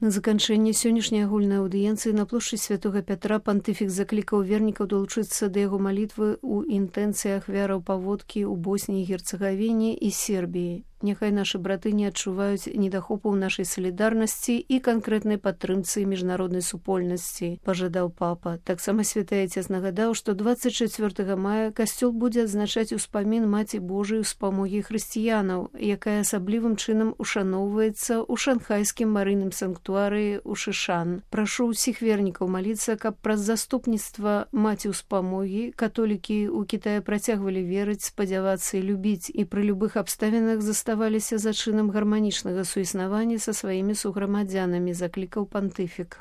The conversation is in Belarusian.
На заканчэнне сённяшняй агульнай аўдыенцыі на плошчы святога Пятра пантыфік заклікаў вернікаў далучыцца да яго малітвы ў інтэнцыі ахвяраў паводкі ў Босніі, Герцагавіне і Сербіі. Няхай нашы браты не адчуваюць недахопу ў нашай салідарнасці і канкрэтнай падтрымцы міжнароднай супольнасці, пажадаў папа. Таксама святы Айцец нагадаў, што 24 мая касцёл будзе адзначаць успамін Маці Божай успамогі хрысціянаў, якая асаблівым чынам ушаноўваецца ў шанхайскім марыйным санктуарыі ў Шышан. Прашу ўсіх вернікаў маліцца, каб праз заступніцтва Маці ўспамогі католікі ў Кітаі працягвалі верыць, спадзявацца і любіць і пры любых абставінах заставаліся за чынам гарманічнага суіснавання са сваімі суграмадзянамі, заклікаў пантыфік.